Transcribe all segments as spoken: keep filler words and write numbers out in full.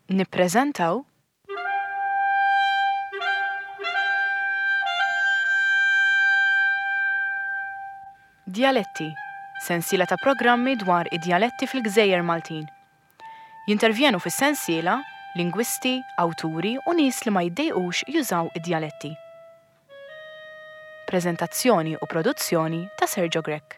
Nippreżentaw Djaletti, sensiela ta' programmi dwar id-djaletti fil-Gżejjer Maltin. Jintervjenu fis-sensiela lingwisti, awturi u nies li ma jiddejqux jużaw id-djaletti. Preżentazzjoni u produzzjoni ta' Sergio Grech.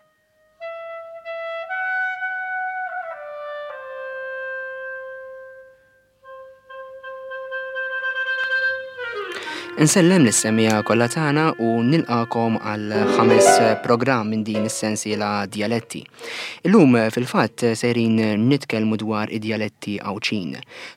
Insellem lis-semmiegħa kollha tagħna u nilqakom għal ħames programm minn din is-sensiela Djaletti. Illum fil-fatt sejrin nitkellmu dwar id-djaletti Għawdxin.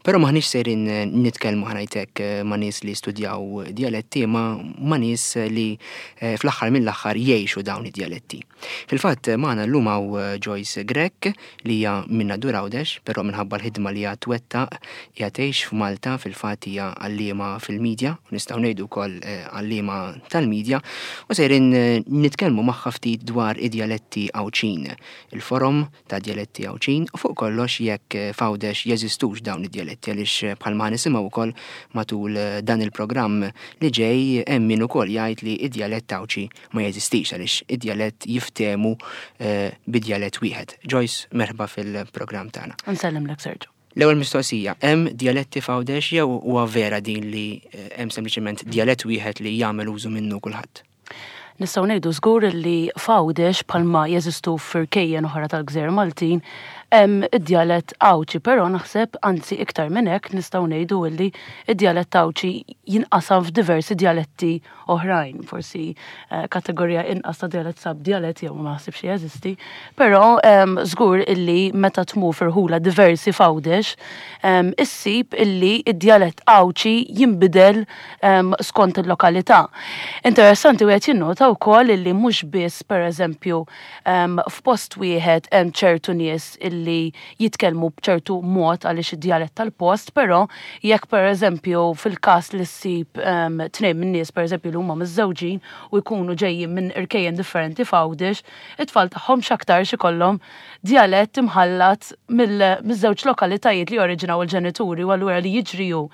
Però maħniex sejrin nitkellmu ħanajtek ma' nies li studjaw djaletti ma' ma' nies li eh, fl-aħħar mill-aħħar jgħixu dawn id-djaletti. Fil-fatt magħna llum hawn Joyce Grech li hija minn Nadur Għawdex, però minħabba l-ħidma li hija twettaq hija tgħix f'Malta, fil-fatt hija għalliema fil-medja, u nistgħu ngħidu wkoll eh, għalliema tal-medja, u sejrin eh, nitkellmu magħha ftit dwar id-djaletti Għawdxin, il-forom ta' djaletti Għawdxin, u fuq kollox jekk eh, f'Għawdex jeżistux dawn id-djaletti għaliex bħalma nisimgħu wkoll matul dan il-programm li ġej hemm min ukoll jgħid li id-djalett Għawdxi ma jeżistix għaliex id-djalett jiftehmu bi djalett wieħed. Joyce, merħba fil-programm tagħna. Nsellimlek Sergio. L-ewwel mistoqsija, hemm djaletti f'Għawdex jew huwa vera din li eh, hemm sempliċement djalett wieħed li jagħmel użu minnu kulħadd? Nistgħu ngħidu żgur li f'Għawdex bħalma jeżistu f'irkejjen oħra tal-Gżejjer Maltin hemm id-djalett Għawdxi, però naħseb anzi iktar minn hekk nistgħu ngħidu li id-djalett Għawdxi jinqasam f'diversi djaletti oħrajn, forsi eh, kategorija inqas ta' djalett sab djalett jew ma naħsibx jeżisti, però żgur illi meta tmur f'irħula diversi f'Għawdex issib illi id-djalett Għawdxi jinbidel skont il-lokalità. Interessanti wieħed jinnota wkoll illi mhux biss pereżempju f'post wieħed hemm ċertu nies illi jitkellmu b'ċertu mod għaliex id-djalett tal-post, però jekk pereżempju fil-każ li ssib tnejn min-nies pereżempju li huma miżżewġin u jkunu ġejjin minn irkejjen differenti f'Għawdex, it-tfal tagħhom x'aktarx ikollhom djalett imħallat mill-żewġ lokalitajiet li oriġinaw il-ġenituri, u allura li jiġri hu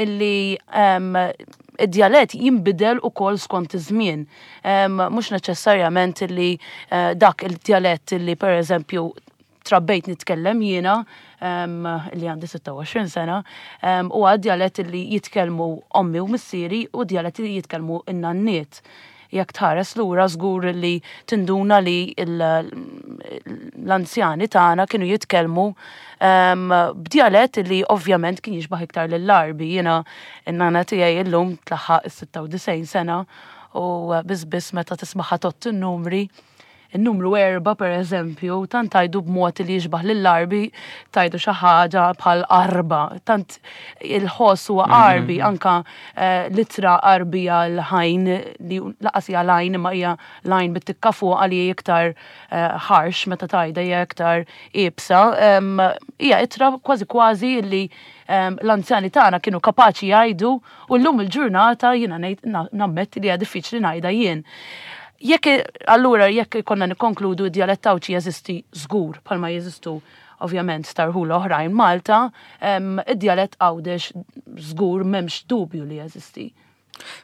illi id-djalett jinbidel ukoll skont iż-żmien. Mhux neċessarjament illi eh, dak il-djalett illi pereżempju trabbejt nitkellem jiena, li għandi sitta u għoxrin sena, u għad djalett li jitkellmu ommi u missieri u djalett li jitkellmu in-nanniet. Jekk tħares lura żgur li tinduna li l-anzjani tagħna kienu jitkellmu b'djalett li ovvjament kien jixbaħ iktar lill-Għarbi. Jiena n-nana tiegħi illum tlaħħaq is-sitta u disgħin sena u biss biss meta tismaħħa tot in-numri, il-numru erba per eżempju, tant tajdu b'mod li jixbaħ lill-Għarbi, tajdu xi ħaġa bħal arba, tant il-ħoss huwa Għarbi, anka eh, l-ittra Għarbija l-ħajn li lanqas hija l-għajn imma hija l-għajn bit-tikka fuq li iktar eh, harsh meta tajda hija iktar iebsa, hija ittra kważi kważi li l-anzjani tagħna kienu kapaċi jgħidu u llum il-ġurnata jiena ngħid nammetti li hija diffiċli ngħidha jien. Jekk allura jekk konna nikkonkludu, d-djalett Għawdxi jeżisti żgur bħalma jeżistu ovvjament f'rħula oħrajn Malta, id-djalett Għawdex żgur m'hemmx dubju li jeżisti.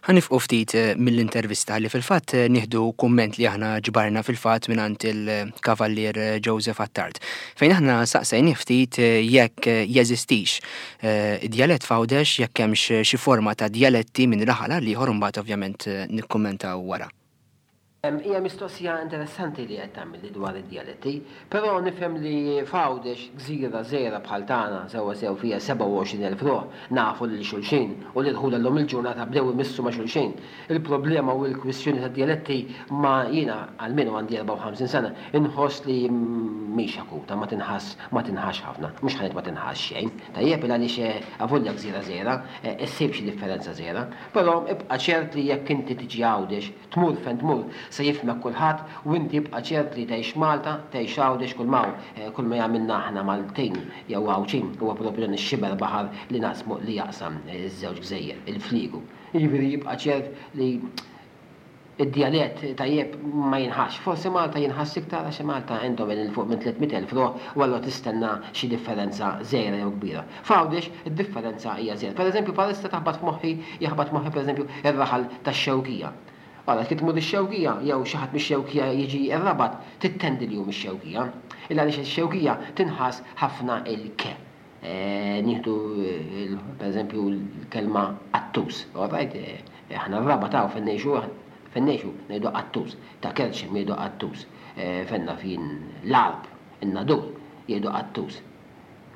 Ħa nieqfu ftit eh, mill-intervista li fil-fatt eh, nieħdu kumment li aħna ġbarna fil-fatt mingħand il-Kavallier eh, Joseph Attard. Fejn aħna saqsejni ftit jekk jeżistix id-djalett f'Għawdex, jekk hemmx xi forma ta' djaletti minn raħal għal ieħor, mbagħad ovvjament nikkummentaw wara. Hija mistoqsija interessanti li qed tagħmel dwar id-djaletti, però nifhem li f'Għawdex, gżira żgħira bħal tagħna, sewwa sew fiha sebgħa u għoxrin elf ruħ, nafu lil xulxin u li dħul llum il-ġurnata bdew imissu ma' xulxin. Il-problema u l-kwistjoni tad-djaletti ma jiena almenu għandi erbgħa u ħamsin sena, inħoss li mhix akuta, ma tinħass ma tinħass ħafna, mhux ħa ngħid ma tinħass xejn. Tajjeb, għaliex avolja gżira żgħira, issib xi differenza żgħira, però ibqa' ċert li jekk inti tiġi Għawdex, tmur fejn tmur, se jifhmek kulħadd u inti ibqa' ċert li tgħix Malta, tgħix Għawdex, kull ma kull ma jagħmilna aħna Maltin jew Għawdxin huwa proprju dan ix-xiber baħar li naqsmu li jaqsam iż-żewġ gżejjer, il-fliegu. Jiġifieri jibqa' ċert li Id-djalett tajjeb ma jinħass. Forsi Malta jinħass iktar għax Malta għandhom 'il fuq minn tliet mitt elf ruħ u allura tistenna xi differenza żgħira jew kbira. F'Għawdex id-differenza hija żgħira. Pereżempju, bħalissa taħbat f'moħħi, jaħbat moħħi pereżempju ir-raħal tax-Xewkija. Għala, kif tmur ix-Xewkija jew xi ħadd mix-Xewkija jiġi r-Rabat, tittendi li hu mix-Xewkija. Illa għaliex ix-Xewkija tinħass ħafna il-ke. Eh, nieħdu pereżempju l-kelma qattus, all right? Eh, aħna r-Rabat hawn fejn ngħixu fejn ngħixu ngħidu qattus, ta' Kerċem jgħidu qattus, eh, fenna fin l-Għarb, in-Nadur jgħidu qattus.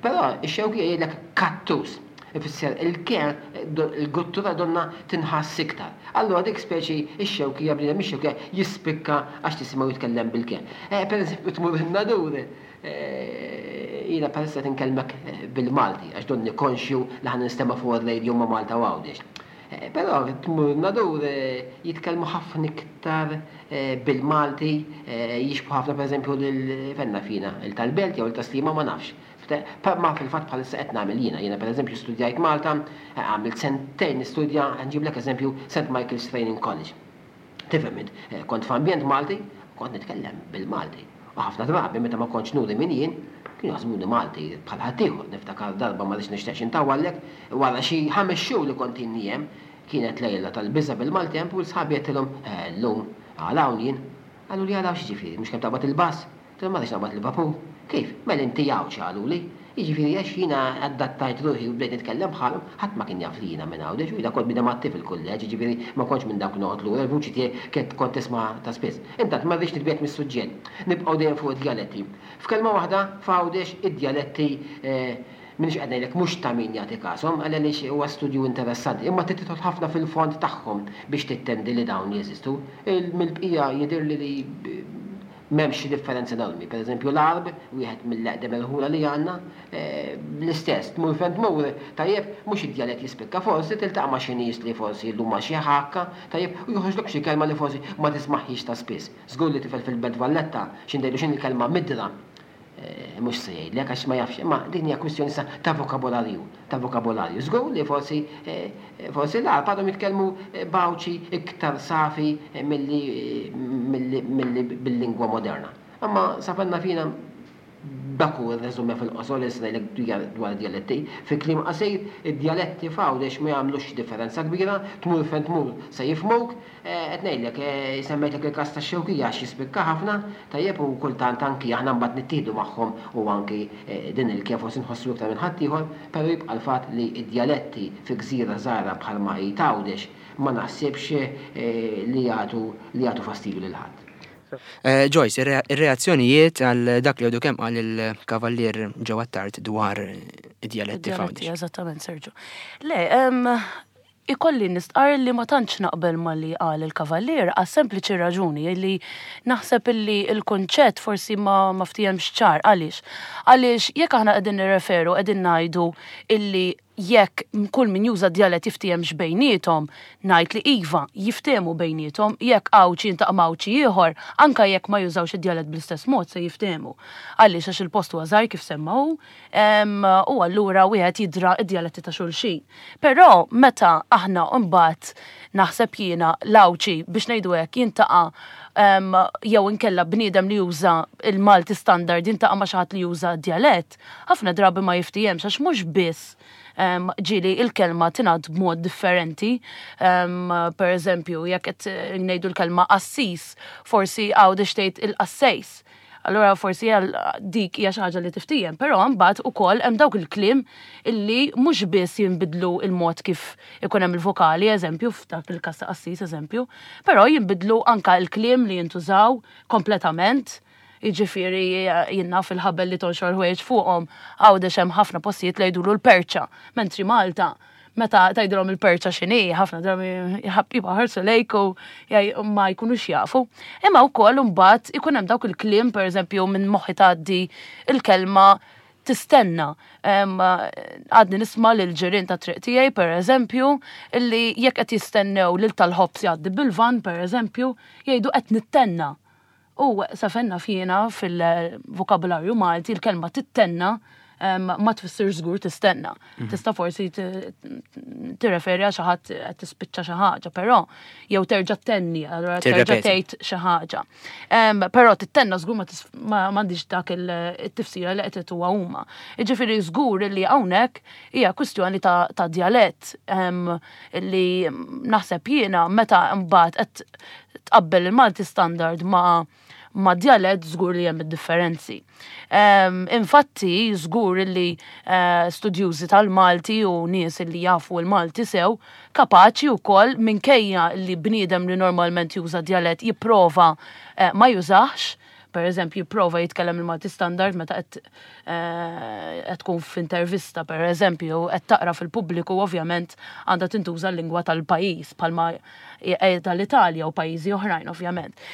Però ix-Xewkija jgħidlek kattus. Ifisser il-ke, il-guttura donna tinħass iktar. Allura dik speċi ix-Xewkija, bniedem ix-Xewkija jispikka għax tisimgħu jitkellem bil-ke. Eh, per eżempju, tmur in-Nadur, eh, jiena bħalissa tinkellmek eh, bil-Malti, għax donni konxju li ħa ninstema' fuq ir-radio ma' Malta u Għawdex. Eh, Però tmur Nadur, jitkellmu ħafna iktar eh, bil-Malti, eh, jixbħu ħafna pereżempju lil fenna fina, il tal-Belt jew il-Tas-Sliema, ma nafx. Pa- Ma fil-fatt bħalissa qed nagħmel jiena, jiena pereżempju studjajt Malta, eh, għamilt sentejn nistudja, nġiblek eżempju Saint Michael's Training College. Tifhem int, eh, kont f'ambjent Malti, kont nitkellem bil-Malti. U ħafna drabi meta ma kontx nuri min jien, kienu jaħsbuni Malti bħal ħaddieħor. Niftakar darba, ma rridx nixtieqx intawwallek, wara xi ħames xhur li kont inni hemm, kienet lejla tal-biża' bil-Malti hemm u l-sħabi għedtilhom, "Eh, llum għal hawn jien." Qaluli, "Għal hawn x'jiġifieri, mhux kemm taqbad il-bus?" Għedtilhom, "Ma rridx naqbad il-vapur." "Kif? Mela inti Għawdxi," qaluli. Jiġifieri għax jiena adattajt ruħi u bdejt nitkellem bħalhom, ħadd ma kien jaf li jiena minn Għawdex u jiena kont bniedem attiv fil-kulleġġ, jiġifieri ma kontx minn dawk noqgħod lura, il-vuċi tiegħi kienet kont tisma' ta' spiss. Intant ma rridx nitbiegħed mis-suġġett. Nibqgħu dejjem fuq id-djaletti. F'kelma waħda, f'Għawdex id-djaletti eh, minix qed ngħidlek mhux ta' min jagħti każhom, għaliex huwa studju interessanti, imma trid tidħol ħafna fil-fond tagħhom biex tittendi li dawn jeżistu. Il- Mill-bqija jidhirli li m'hemmx xi differenza enormi. Per eżempju l-Għarb, wieħed mill-eqdem irħula li għandna, eh, l-istess, tmur fejn tmur, tajjeb, mhux id-djalett jispikka, forsi tiltaqa' ma' xi nies li forsi llum ma' xi ħakka, tajjeb, u joħroġlok xi kelma li forsi ma tismaħħix ta' spiss. Żgur li tifel fil-Belt Valletta, xi ngħidu x'in il-kelma midra, eh, mhux se jgħidlek għax ma jafx, imma din hija kwistjoni sa ta' vokabolarju, ta' vokabolarju. Żgur li forsi eh, forsi l-Għarb għadhom jitkellmu eh, b'Għawdxi iktar safi eh, milli milli milli bil-lingwa moderna. Imma sa fejn naf jiena dak hu r-resume fil-qosor li se ngħidlek dwar id-djaletti. Fi kliem qasir, id-djaletti f'Għawdex ma jagħmlux differenza kbira, tmur fejn tmur se jifhmuk. eh, qed ngħidlek, eh, semmejtlek il-każ tax-Xewkija għax jispikka ħafna, tajjeb, u kultant anki aħna mbagħad nittieħdu magħhom u anki eh, din il-kif forsi nħossu iktar minn ħaddieħor, però jibqa' l-fatt li id-djaletti fi gżira żgħira bħalma hi t'Għawdex ma naħsibx eh, li jagħtu li jagħtu fastidju lil ħadd. Eh, Joyce, ir- ir-reazzjonijiet għal dak li għadu kemm qal il-kavallier Joe Attard dwar id-djaletti Id-djaletti, f'Għawdex. Eżattament, Sergio. Le, em, ikolli nistqar li ma tantx naqbel ma li qal il-kavallier għas sempliċi raġuni li naħseb illi il-konċett forsi ma ma ftihemx ċar. Għaliex? Għaliex jekk aħna qegħdin nirreferu, qegħdin ngħidu illi jekk kull min juża djalett jiftiehemx bejniethom, ngħid li iva, jiftehmu bejniethom, jekk Għawdxi jiltaqa' ma' Għawdxi ieħor, anka jekk ma jużawx id-djalett bl-istess mod se jiftehmu. Għaliex? Għax il-post huwa żgħir kif semma hu, em, u allura wieħed jidra id-djaletti ta' xulxin. Però meta aħna mbagħad naħseb jiena l-Għawdxi, biex ngħidu hekk, jiltaqa' em, jew inkella bniedem li juża il-Malti standard jiltaqa' ma' xi ħadd li juża djalett, ħafna drabi ma jiftihemx għax mhux biss em, ġieli il-kelma tingħad b'mod differenti. Em, per eżempju, jekk qed ngħidu l-kelma qassis, forsi Għawdex tgħid il-qassejs. Allora forsi għal dik hija xi ħaġa li tiftiehem, però mbagħad ukoll hemm dawk il-kliem illi mhux biss jinbidlu il-mod kif ikun hemm il-vokali, eżempju, f'dak il-każ ta' qassis eżempju, però jinbidlu anka il-kliem li jintużaw kompletament. Jiġifieri jiena fil-ħabel li tonxor ħwejjeġ fuqhom, Għawdex hemm ħafna postijiet li jgħidulu l-perċa, mentri Malta meta tgħidilhom il-perċa x'inhi, ħafna drabi jibqa' ħarsu lejk u jgħaj- ma jkunux jafu. Imma wkoll imbagħad ikun hemm dawk il-kliem, pereżempju minn moħħi tgħaddi il-kelma tistenna. Em, Għadni nisma' lil ġirien ta' triq tiegħi, pereżempju, illi jekk qed jistennew lil tal-ħobż jgħaddi bil-van, pereżempju, jgħidu "qed nittenna". U sa fejn naf jiena fil-vokabularju Malti il-kelma tittenna ma tfissir żgur tistenna. Mhm. Tista' forsi tirreferi għal xi ħadd qed tispiċċa xi ħaġa, però jew terġa' tenni, allura terġa' tgħid xi ħaġa. Però tittenna żgur ma m'għandix dak il-tifsira li qed huwa huma. Jiġifieri żgur li hawnhekk hija kwistjoni ta' djalett li naħseb jiena meta mbagħad qed tqabbel il-Malti standard ma' ma' djalett żgur li hemm id-differenzi. Infatti, żgur li eh, studjużi tal-Malti u nies li jafu l-Malti sew kapaċi wkoll minkejja li bniedem li normalment juża djalett jipprova eh, ma jużax, per eżempju, jipprova jitkellem il-Malti standard meta qed eh, qed tkun f'intervista, per eżempju, qed taqra fil-pubbliku, ovvjament għandha tintuża l-lingwa tal-pajjiż bħalma tal-Italja u pajjiżi oħrajn, ovvjament.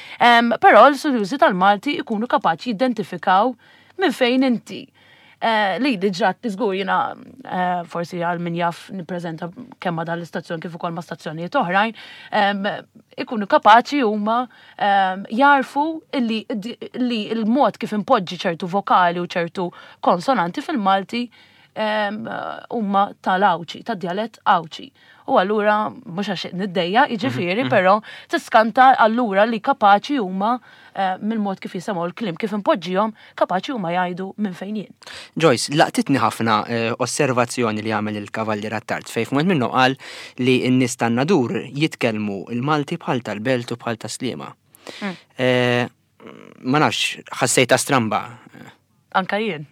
Però l-studjużi tal-Malti ikunu kapaċi jidentifikaw minn fejn inti. Eh, li diġà żgur jiena eh, forsi għal min jaf nippreżenta kemm ma dan l-istazzjon kif ukoll ma' stazzjonijiet oħrajn, ikunu kapaċi huma jarfu li il-mod kif impoġġi ċertu vokali u ċertu konsonanti fil-Malti huma tal-Għawdxi, tad-djalett Għawdxi. U allura mhux għax niddejja, jiġifieri, mhm, mhm. però tiskanta allura li kapaċi huma eh, mill-mod kif jisimgħu l-kliem, kif impoġġihom, kapaċi huma jgħidu minn fejn jien. Joyce, laqtitni ħafna eh, osservazzjoni li għamel il-Kavallier Attard fejn f'mument minnu qal li n-nies tan-Nadur jitkellmu il-Malti bħal tal-Belt u bħal tas-Sliema. Mm. Eh, ma nafx, ħassejta stramba. Anka jien,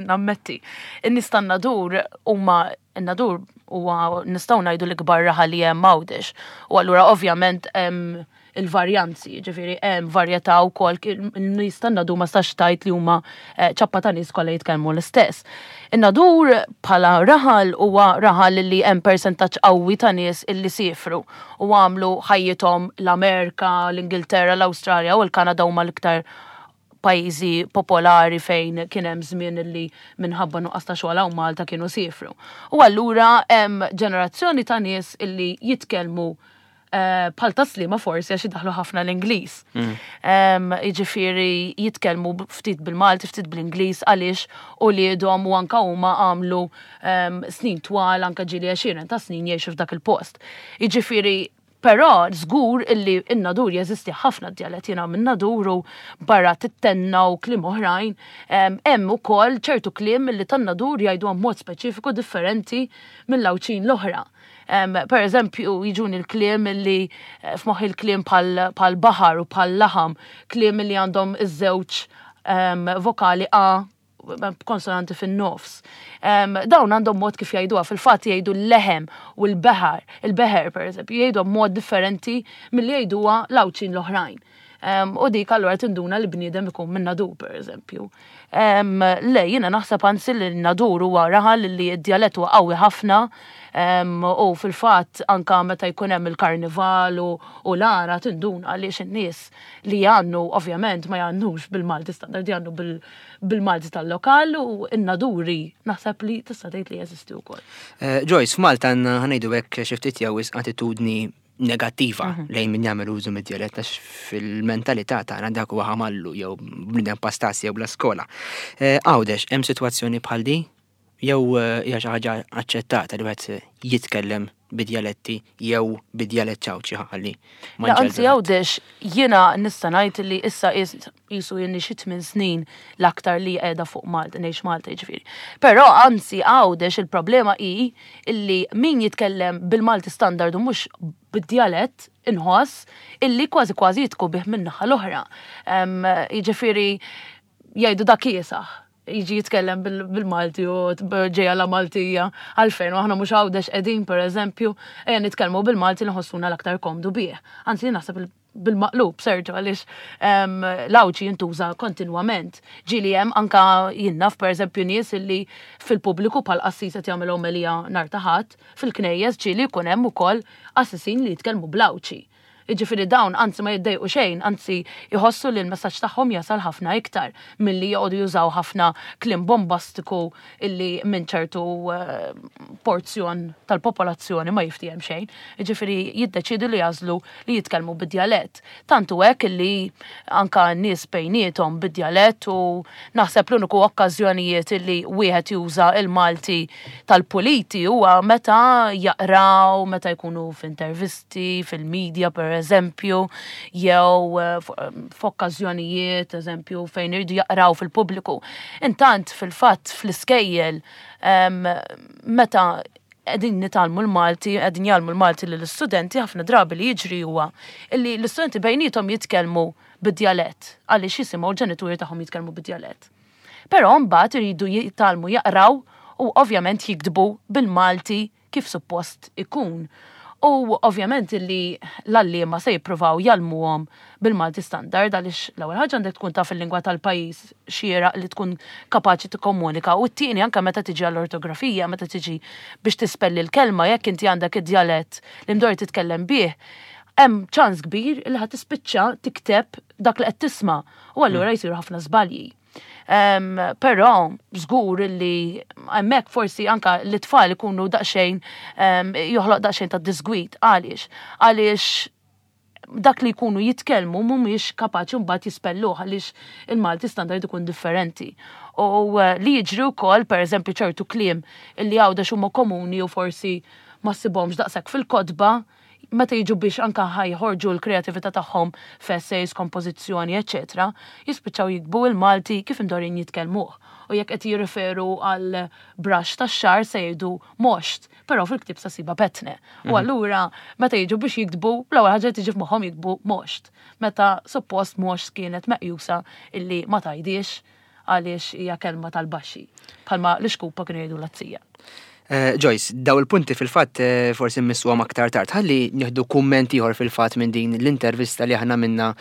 nammetti. In-nies tan-Nadur huma n-Nadur huwa nistgħu ngħidu l-ikbar raħal li hemm Għawdex. U allura ovvjament hemm il-varjanzi, ġifieri hemm varjetà wkoll in-nies tan-Nadur ma stax tgħid li huma eh, ċappa ta' nies kollha jitkellmu l-istess. In-Nadur bħala raħal huwa raħal li hemm persentaġġ qawwi ta' nies illi siefru u għamlu ħajjithom l-Amerika, l-Ingilterra, l-Awstralja u l-Kanada huma l-iktar pajjiżi popolari fejn kien hemm żmien li minħabba nuqqas ta' xogħol hawn Malta kienu siefru. U allura hemm ġenerazzjoni ta' nies illi jitkellmu eh, bħal tas-Sliema forsi għax idaħlu ħafna l-Ingliż. Mm. Jiġifieri jitkellmu ftit bil-Malti, ftit bl-Ingliż għaliex uliedhom u anka huma għamlu snin twal anka ġieli għexieren ta' snin jgħixu f'dak il-post. Jiġifieri Però żgur illi in-Nadur jeżisti ħafna djalett jiena minn Nadur u barra tittenna u kliem oħrajn, hemm ukoll ċertu kliem illi tan-Nadur jgħidu mod speċifiku differenti mill-Għawdxin l-oħra. Per eżempju, jiġuni l-kliem illi eh, f'moħħi l-kliem bħal baħar u bħal laħam, kliem illi għandhom iż-żewġ vokali A konsonanti fin-nofs. Dawn għandhom mod kif jgħiduha, fil-fatt jgħidu l-leħem u l-beħar, il-beħer per eżempju, jgħidu mod differenti milli jgħiduha l-Għawdxin l-oħrajn. U dik allura tinduna li bniedem ikun minn Nadur per eżempju. Le, jiena naħseb anzi li Nadur huwa raħal li d-djalett huwa qawwi ħafna u fil-fatt anka meta jkun hemm il-karnival u l-għana tinduna għaliex in-nies li jgħannu ovvjament ma jgħannux bil-Malti standard, jgħannu bil-Malti tal-lokal u n-Naduri naħseb li tista' tgħid li jeżisti wkoll. Eh, Joyce, f'Malta għandna ħa ngħidu hekk xi ftit jew attitudni negattiva mhm. lejn min jagħmel użu mid-djalett għax fil-mentalità tagħna dak huwa ħamallu jew bniedem pastas jew bla skola. Eh, Għawdex, hemm sitwazzjoni bħal di? Jew eh, hija xi ħaġa aċċettata li wieħed jitkellem bid-djaletti jew bid-djalett Għawdxi ħalli ma Anzi Għawdex jiena nista' ngħid li issa qisu jien xi tmien snin l-aktar li qiegħda fuq Malta, ngħix Malta jiġifieri. Però anzi Għawdex il-problema hi illi min jitkellem bil-Malti standard u mhux bid-djalett inħoss illi kważi kważi jitku bih min-naħa l-oħra. Jiġifieri jgħidu dak kiesaħ jiġi jitkellem bil-Malti u ġeja la Maltija għalfejn u aħna mhux Għawdex qegħdin per eżempju ejja nitkellmu bil-Malti li nħossuna l-aktar komdu bih. Anzi naħseb bil-maqlub, Sergio, għaliex l-Għawdxi jintuża kontinwament. Ġieli hemm anka jien naf per eżempju nies illi fil-pubbliku bħal qassis qed jagħmel omelija nhar ta' Ħadd, fil-knejjes ġieli jkun hemm ukoll qassisin li jitkellmu bl-Għawdxi. Jiġifieri dawn anzi ma jiddejqu xejn, anzi jħossu li l-messaġġ tagħhom jasal ħafna iktar milli joqogħdu jużaw ħafna kliem bombastiku illi minn ċertu eh, porzjon tal-popolazzjoni ma jiftiehem xejn. Jiġifieri jiddeċidu li jagħżlu li jitkellmu bid-djalett. Tant hu hekk illi anka n-nies bejniethom bid-djalett, u naħseb l-uniku okkażjonijiet illi wieħed juża il-Malti tal-puliti huwa meta jaqraw, meta jkunu f'intervisti, fil-media per eżempju, jew eh, f'okkażjonijiet, eżempju, fejn iridu jaqraw fil-pubbliku. Intant, fil-fatt, fl-iskejjel, meta qegħdin nitgħallmu l-Malti, qegħdin jgħallmu l-Malti lill-istudenti, ħafna drabi li jiġri huwa illi l-istudenti bejniethom jitkellmu bid-djalett, għaliex jisimgħu l-ġenituri tagħhom jitkellmu bid-djalett. Però mbagħad iridu jitgħallmu jaqraw u ovvjament jiktbu bil-Malti kif suppost ikun. U ovvjament illi l-għalliema se jippruvaw jgħallmuhom bil-Malti standard, għaliex l-ewwel ħaġa għandek tkun taf il-lingwa tal-pajjiż xieraq li tkun kapaċi tikkomunika, u t-tieni anke meta tiġi għall-ortografija, meta tiġi biex tispelli l-kelma, jekk inti għandek id-djalett li mdorri titkellem bih, hemm ċans kbir li ħa tispiċċa tikteb dak li qed tisma' u allura jsiru ħafna żbalji. Um, però żgur li hemmhekk forsi anka l-tfal ikunu daqsxejn um, joħloq daqsxejn ta' disgwid. Għaliex? Għaliex dak li jkunu jitkellmu mhumiex kapaċi mbagħad jispelluh, għaliex il-Malti standard ikun differenti. U uh, li jiġri wkoll, pereżempju, ċertu kliem illi Għawdex huma komuni u forsi ma ssibhomx daqshekk fil-kotba, meta jiġu biex anka ħajħorġu l-kreatività tagħhom f'essays, kompożizzjoni, eċetera, jispiċċaw jiktbu il-Malti kif imdorrin jitkellmuh. U jekk qed jirriferu għal brush tax-xagħar se jgħidu moxt, però fil-ktieb sa ssibha pettne. U allura meta jiġu biex jiktbu, l-ewwel ħaġa tiġi f'moħħhom jiktbu moxt. Meta suppost moxt kienet meqjusa illi ma tgħidix għaliex hija kelma tal-baxxi, bħalma l-ixkupa kienu jgħidu l-azzija. Eh, Joyce, daw il-punti fil-fatt eh, forsi mmissuhom aktar tard. Ħalli nieħdu kumment ieħor fil-fatt minn din l-intervista li aħna minna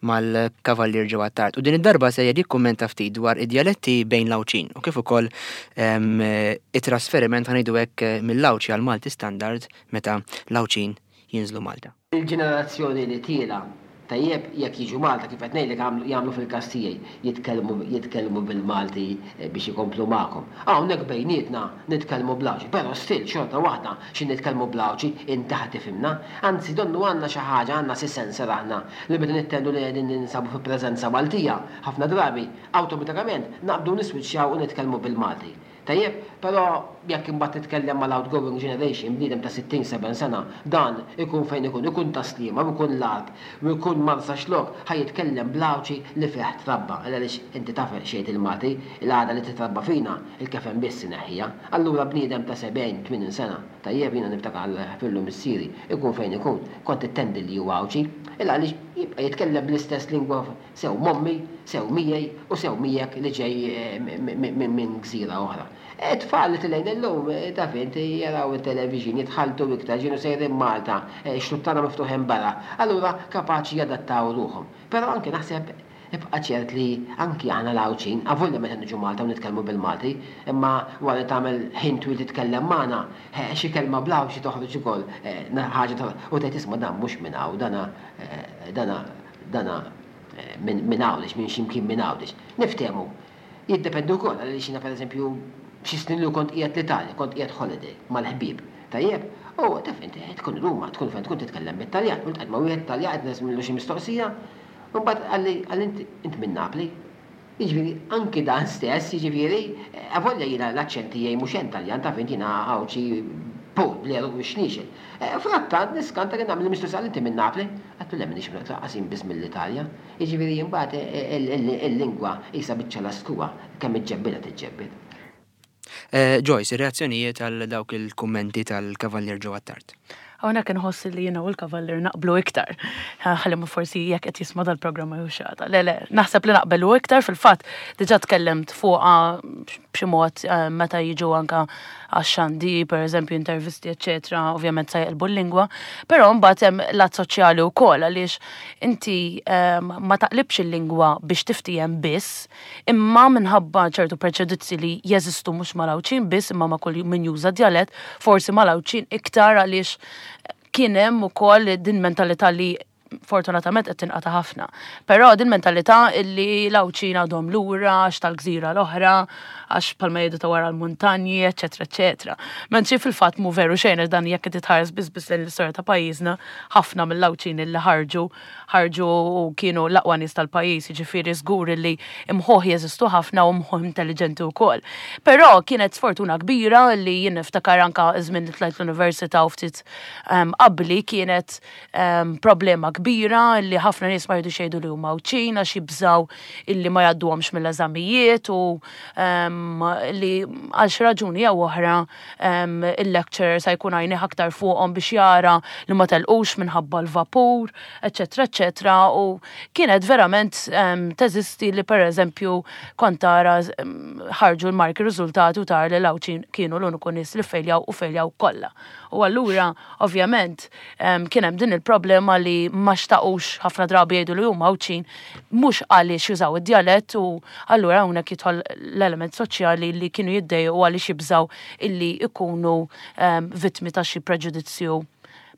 mal-Kavallier Joe Attard. U din id-darba se jikkummenta ftit dwar id-djaletti bejn l-Għawdxin u kif ukoll ehm, it-trasferiment, ħa ngħidu hekk, mill-Għawdxi għal Malti standard meta l-Għawdxin jinżlu Malta. Il-ġenerazzjoni li tiela', tajjeb, jekk jiġu Malta, kif qed ngħidlek jagħmlu fil-każ tiegħi, jitkellmu jitkellmu bil-Malti eh, biex ikomplu magħkom. Hawnhekk bejnietna nitkellmu bl-Għawdxi, però still xorta waħda xi nitkellmu bl-Għawdxi inti ħa tifhimna. Anzi donnu għandna xi ħaġa, għandna si sensor aħna li meta nittendu li qegħdin ninsabu fi preżenza Maltija, ħafna drabi awtomatikament naqbdu niswiċċjaw u nitkellmu bil-Malti. Tajjeb, però jekk imbagħad titkellem mal-outgoing generation, bniedem ta' sittin seba' sena, dan ikun fejn ikun, ikun Tas-Sliema, ikun l-Għarb, u ikun Marsaxlokk, ħa jitkellem bl-Għawdxi li fih trabba. Għaliex inti taf xejn il-Malti, il-għada li titrabba fina, il-kefen biss ineħħija. Allura bniedem ta' sebgħin, tmien sena, tajjeb, jiena niftakar ħafillu missieri, ikun fejn ikun, kont ittendi li huwa Għawdxi, illa għaliex jibqa' jitkellem bl-istess lingwa sew mommi, sew miegħi u sew miegħek li ġej eh, minn gżira oħra. Tfal li tilgħin illum, taf inti, jaraw il-television, jitħaltu iktar, ġinu sejrin Malta, xluttana miftuħin barra, allura kapaċi jadattaw ruħhom. Però anke naħseb ibqa' ċert li anki aħna l-Għawdxin, avolja meta niġu Malta u nitkellmu bil-Malti, imma wara li tagħmel ħin twil titkellem magħna, xi kelma bl-Għawdxi toħroġ ukoll, ħaġa toħroġ, u tgħid isma' dan mhux minn hawn, dana dana dana minn Għawdex, minn xi mkien minn Għawdex. Niftehmu. Jiddependi wkoll għaliex jiena pereżempju xi snin li kont qiegħed l-Italja, kont qiegħed holiday mal-ħbieb. Tajjeb, u taf inti tkun Ruma, tkun fejn tkun titkellem bit-Taljan, u ltqajt ma' wieħed Taljan qed nesmillu xi mistoqsija, u mbagħad qalli qalli inti int minn Napli. Jiġifieri anki dan stess, jiġifieri avolja jiena l-aċċent tiegħi mhux hemm Taljan, taf inti jiena Għawdxi pur bl-għeruq u x-xniexel. Frattant niskanta kien nagħmel mistoqsija, inti minn Napli? Għedtlu le, m'iniex minn Napli, jien biss mill-Italja. Jiġifieri imbagħad il-lingwa qisha biċċa laskuwa kemm iġġebbidha tiġġebbid. Joyce, ir-reazzjonijiet għal dawk il-kummenti tal-Kavallier Joe Attard. Hawnhekk inħoss li jiena u l-Kavallier naqblu iktar. Ħalli ma forsi jekk qed jisma' dal-programm jew xi ħaġa. Le, le, naħseb li naqbelu iktar. Fil-fatt diġà tkellimt fuqha b'xi mod meta jiġu anka għax-xandi, pereżempju intervisti, eċetera, ovvjament se jqilbu l-lingwa, però mbagħad hemm lat soċjali wkoll għaliex inti ma taqlibx il-lingwa biex tiftiehem biss, imma minħabba ċertu preġudizzi li jeżistu mhux mal-Għawdxin biss, imma ma' kull min juża djalett, forsi mal-Għawdxin iktar għaliex kien hemm ukoll din mentalità li Fortunatament qed tinqata' ħafna. Però din mentalità illi l-Għawdxin għadhom lura għax tal-gżira l-oħra, għax bħalma jgħidu ta' wara l-muntanji, eċetera, eċetera. Mentri fil-fatt mhu veru xejn, għax dan jekk qed titħares biss biss lejn l-istorja ta' pajjiżna, ħafna mill-Għawdxin illi ħarġu ħarġu u kienu l-aqwa nies tal-pajjiż, jiġifieri żgur illi imħuħ jeżistu ħafna u mħuħ intelligenti wkoll. Però kienet sfortuna kbira li jien niftakar anka żmien li tlajt l-università u ftit um, qabli kienet um, problema kbira li ħafna nies ma jridux jgħidu li huma Għawdxin għax jibżaw illi ma jgħadduhomx mill-eżamijiet u um, li għal xi raġuni jew oħra um, il-lecturer sa jkun għajnih aktar fuqhom biex jara li ma telqux minħabba l-vapur, eċetera, eċetera. U kienet verament um, teżisti li per eżempju kont tara um, ħarġu l-marki riżultati u tara li l-Għawdxin kienu l-uniku nies li fejljaw u fejljaw kollha. U allura ovvjament um, kien hemm din il-problema li ma xtaqux ħafna drabi jgħidu li huma Għawdxin mhux għaliex jużaw id-djalett, u allura hawnhekk jidħol l-element soċjali li kienu jiddejqu għaliex jibżaw illi ikunu um, vittmi ta' xi preġudizzju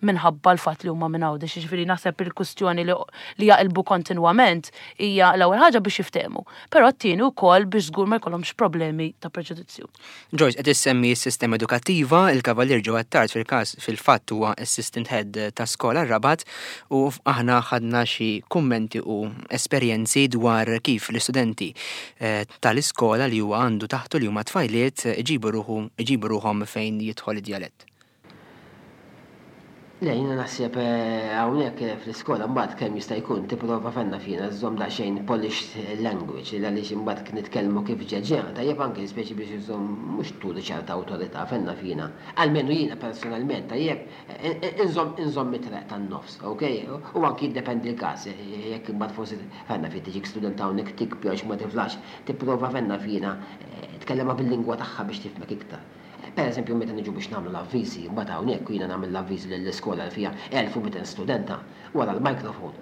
minħabba l-fatt li huma minn Għawdex. Jiġifieri naħseb il-kustjoni li, li jaqilbu kontinwament hija l-ewwel ħaġa biex jiftehmu, però t-tieni wkoll biex żgur ma jkollhomx problemi ta' preġudizzju. Joyce, qed issemmi s-sistema edukattiva, il-Kavalier Joe Attard fil-każ fil-fatt huwa assistant head ta' skola Rabat, u aħna ħadna xi kummenti u esperjenzi dwar kif l-istudenti eh, tal-iskola li huwa għandu taħtu, li huma tfajliet, iġibu ruħu iġibu ruħhom fejn jidħol id-djalett. Le, jiena naħseb eh, hawnhekk eh, fl-iskola mbagħad kemm jista' jkun tipprova fenna fina żżomm daqsxejn polished language, għaliex imbagħad nitkellmu kif ġeġa, tajjeb, anke speċi biex iżomm mhux turi ċerta awtorità fenna fina. Almenu jiena personalment, tajjeb, eh, inżomm inżomm it-triq tan-nofs, ok? U anki jiddependi l-każ, jekk imbagħad forsi fenna fi tiġik student hawnhekk tikbi għax ma tiflax, tipprova fenna fina tkellema bil-lingwa tagħha biex tifhmek iktar. Per eżempju, meta niġu biex nagħmlu l-avviżi, mbagħad hawnhekk jiena nagħmel l-avviżi lill-iskola li fiha elf u mitejn studenta wara l-mikrofon.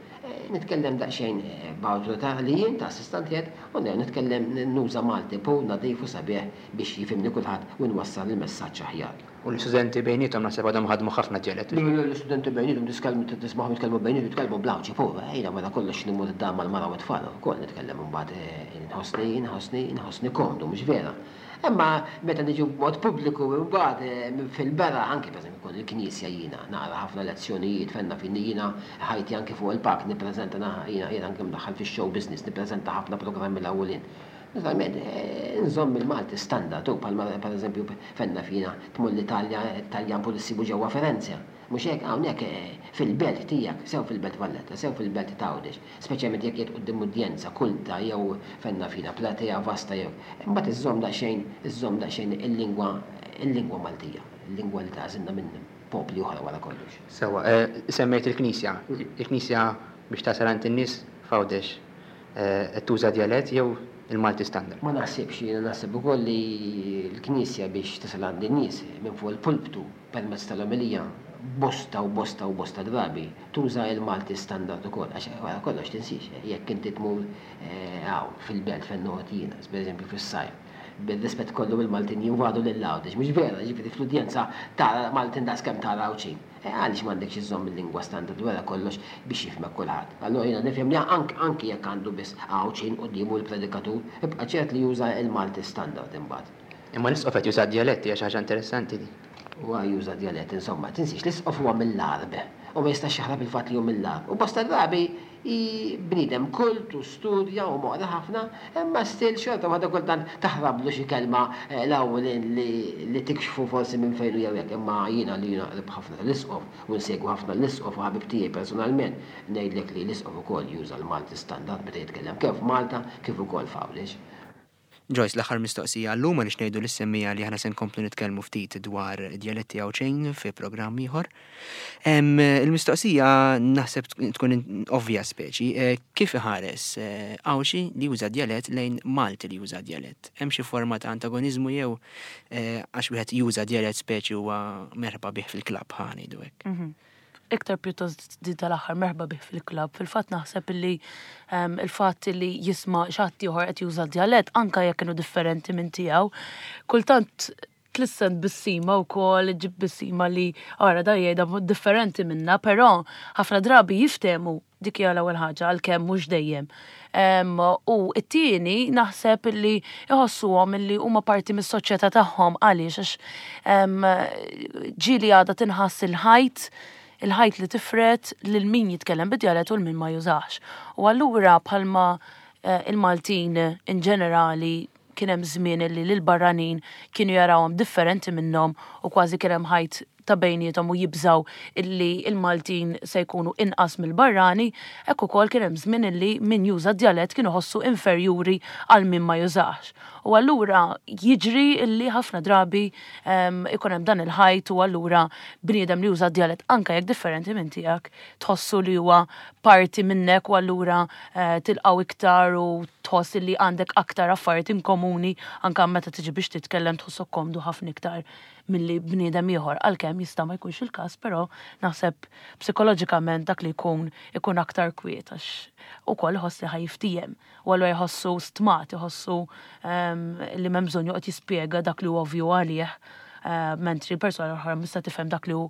Nitkellem daqsxejn b'awtorità li jien ta' assistant head u nitkellem, nuża Malti pur, nadif u sabiħ biex jifhimni kulħadd u nwassal il-messaġġ aħjar. U l-istudenti bejniethom naħseb għadhom ħadmu ħafna djalett. L-istudenti bejniethom tiskellmu, tismagħhom jitkellmu bejniethom, jitkellmu bl-Għawdxi pur, ejna wara kollox nimur id-dar mal-mara u t-tfal ukoll nitkellem imbagħad nħossni nħossni nħossni komdu, mhux vera? Imma meta niġu b'mod pubbliku mbagħad fil-bera, anke pereżempju jkun il-knisja, jiena naqra ħafna lezzjonijiet fenna fin jiena ħajti anke fuq il-palk nippreżenta, jiena jiena anke mdaħħal fix-show business, nippreżenta ħafna programmi l-ewwelin. Naturalment, nżomm il-Malti standard, u bħalma pereżempju fenna fina tmur l-Italja, Taljan pur issibu ġewwa Firenze. Mhux hekk? Hawnhekk fil-belt tiegħek, sew fil-belt Valletta, sew fil-belt ta' Għawdex, speċjalment jekk qiegħed quddiem udjenza kulta jew fenna fina platea vasta jew. Imbagħad iżżomm daqsxejn, iżżomm daqsxejn il-lingwa il-lingwa Maltija, il-lingwa li tagħżilna minn popli oħra wara kollox. Sewwa, semmejt il-Knisja. Il-Knisja biex tasal għand in-nies f'Għawdex qed tuża djalett jew il-Malti standard? Ma naħsibx, jiena naħseb ukoll li l-Knisja biex tasal għand in-nies minn fuq il-pulptu permezz tal-omelija bosta u bosta u bosta drabi tuża il-Malti standard ukoll, għax wara kollox tinsix, jekk inti tmur hawn fil-belt fejn noqgħod jiena, pereżempju fis-sajf, bil-rispett kollu il-Maltin jinvadu lil Għawdex, mhux vera? Ġifieri fl-udjenza tara Maltin daqs kemm tara Għawdxin. Għaliex m'għandekx iżżomm il-lingwa standard wara kollox biex jifhmek kulħadd? Allura jiena nifhem li anki jekk għandu biss Għawdxin quddiemu l-predikatur, ibqa' ċert li juża il-Malti standard imbagħad. Imma l-isqof qed juża djaletti, għax ħaġa interessanti di. Huwa juża djalett, insomma, tinsiex l-isqof huwa mill-Għarb u ma jistax jaħrab il-fatt li hu mill-Għarb. U bosta drabi bniedem kult u studja u moqra ħafna, imma still xorta waħda kultant taħrablu xi kelma l-ewwel li tikxfu forsi minn fejn jew hekk, imma jiena li jiena qrib ħafna tal-isqof u nsegwu ħafna l-isqof u ħabib tiegħi personalment, ngħidlek li l-isqof ukoll juża l-Malti standard meta jitkellem kemm f'Malta kif ukoll f'Għawdex. Joyce, l-aħħar mistoqsija għallum, għaliex ngħidu lis-semmiegħa li aħna se nkomplu nitkellmu ftit dwar djaletti Għawdxin fi programm ieħor. Il-mistoqsija naħseb tkun ovvja speċi, kif iħares Għawdxi li juża djalett lejn Malti li juża djalett? Hemm xi forma ta' antagonizmu jew għax wieħed juża djalett speċi huwa merħba bih fil-klabb, ħa ngħidu hekk? Mhm. Iktar pjuttost di tal-aħħar, merħba bih fil-klabb. Fil-fatt naħseb illi il-fatt li jisma' xi ħadd ieħor qed juża djalett, anka jekk kienu differenti minn tiegħu, kultant Tlissen tbissima wkoll, ġib tbissima li ara da jgħidha mod differenti minna, però ħafna drabi jiftehmu, dik hija l-ewwel ħaġa, għalkemm mhux dejjem. Em, U it-tieni naħseb illi iħossuhom illi huma parti mis-soċjetà tagħhom. Għaliex? Għax em, ġieli għadha tinħass il-ħajt il-ħajt li tifred lil min jitkellem bid-djalett u lil min ma jużax. U allura bħalma eh, il-Maltin in ġenerali kien hemm żmien li lil barranin kienu jarawhom differenti minnhom u kważi kien hemm ħajt ta' bejniethom u jibżaw illi il-Maltin se jkunu inqas mill-barrani, hekk ukoll kien hemm żmien illi min juża djalett kienu ħossu inferjuri għal min ma jużax. U allura jiġri illi ħafna drabi em, ikun hemm dan il-ħajt u allura bniedem li juża djalett, anke jekk differenti minn tiegħek, tħossu li huwa parti minnek u allura eh, tilqgħu iktar u tħoss li għandek aktar affarijiet in komuni, anke meta tiġi biex titkellem tħossok komdu ħafna iktar milli bniedem ieħor, għalkemm jista' ma jkunx il-każ, però naħseb psikoloġikament dak li jkun ikun aktar kwiet għax ukoll iħoss li ħa jiftiehem u allura jħossu stmat, iħossu em, li m'hemm bżonn joqgħod jispjega dak li hu ovvju għalih, eh, mentri persuna oħra mista tifhem dak li hu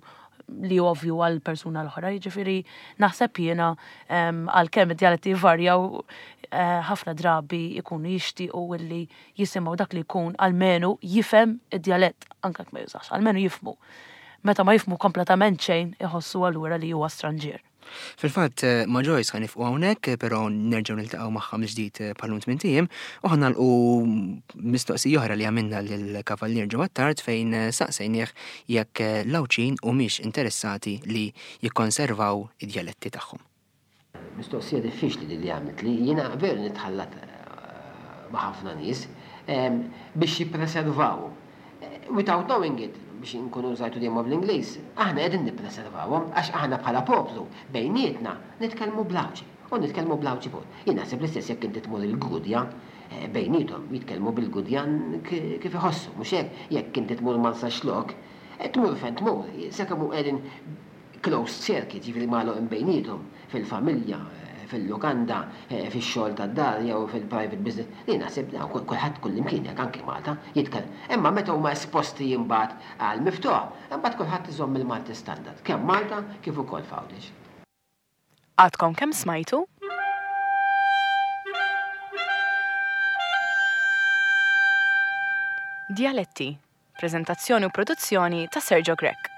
li hu ovvju għal persuna l-oħra. Jiġifieri naħseb jiena em, għalkemm id-djaletti jvarjaw, eh, ħafna drabi jkunu jixtiequ illi jisimgħu dak li jkun almenu jifhem id-djalett, anke jekk ma jużax, almenu jifhmu. Meta ma jifhmu kompletament xejn, iħossu allura li huwa stranġier. Fil-fatt, eh, ma' Joyce ħa nieqfu hawnhekk, eh, però nerġgħu niltaqgħu magħha mill-ġdid eh, bħal tmint ijiem u ħa nagħlqu mistoqsija oħra li għamilna lill-Kavallier Joe Attard fejn eh, saqsejnieh jekk eh, l-Għawdxin humiex interessati li jikkonservaw id-djaletti tagħhom. Mistoqsija diffiċli li li għamilt li jiena veru nitħallat eh, ma' ħafna nies em, biex jippreservaw. Eh, Without knowing it, biex nkunu użajtu dejjem bl-Ingliż, aħna qegħdin nippreservawhom għax aħna bħala poplu bejnietna nitkellmu bl-Għawdxi u nitkellmu bl-Għawdxi fuq. Jien naħseb l-istess jekk inti tmur il-Gudja, eh, bejniethom jitkellmu bil-Gudjan ki- kif iħossu, mhux hekk? Jekk inti tmur Marsaxlokk, eh, tmur fejn tmur, sakemm hu qegħdin closed circuit, ġifieri magħluq bejniethom fil-familja, eh, fil-lukanda, eh, fix-xogħol tad-dar jew fil-private business. Li naħseb dawn kull- kulħadd kullimkien, jekk anke Malta jitkellem. Imma meta huma esposti imbagħad għal miftuħ, imbagħad kulħadd iżomm il-Malti standard, kemm Malta kif ukoll f'Għawdex. Għadkom kemm smajtu? Djaletti, prezentazzjoni u produzzjoni ta' Sergio Grech.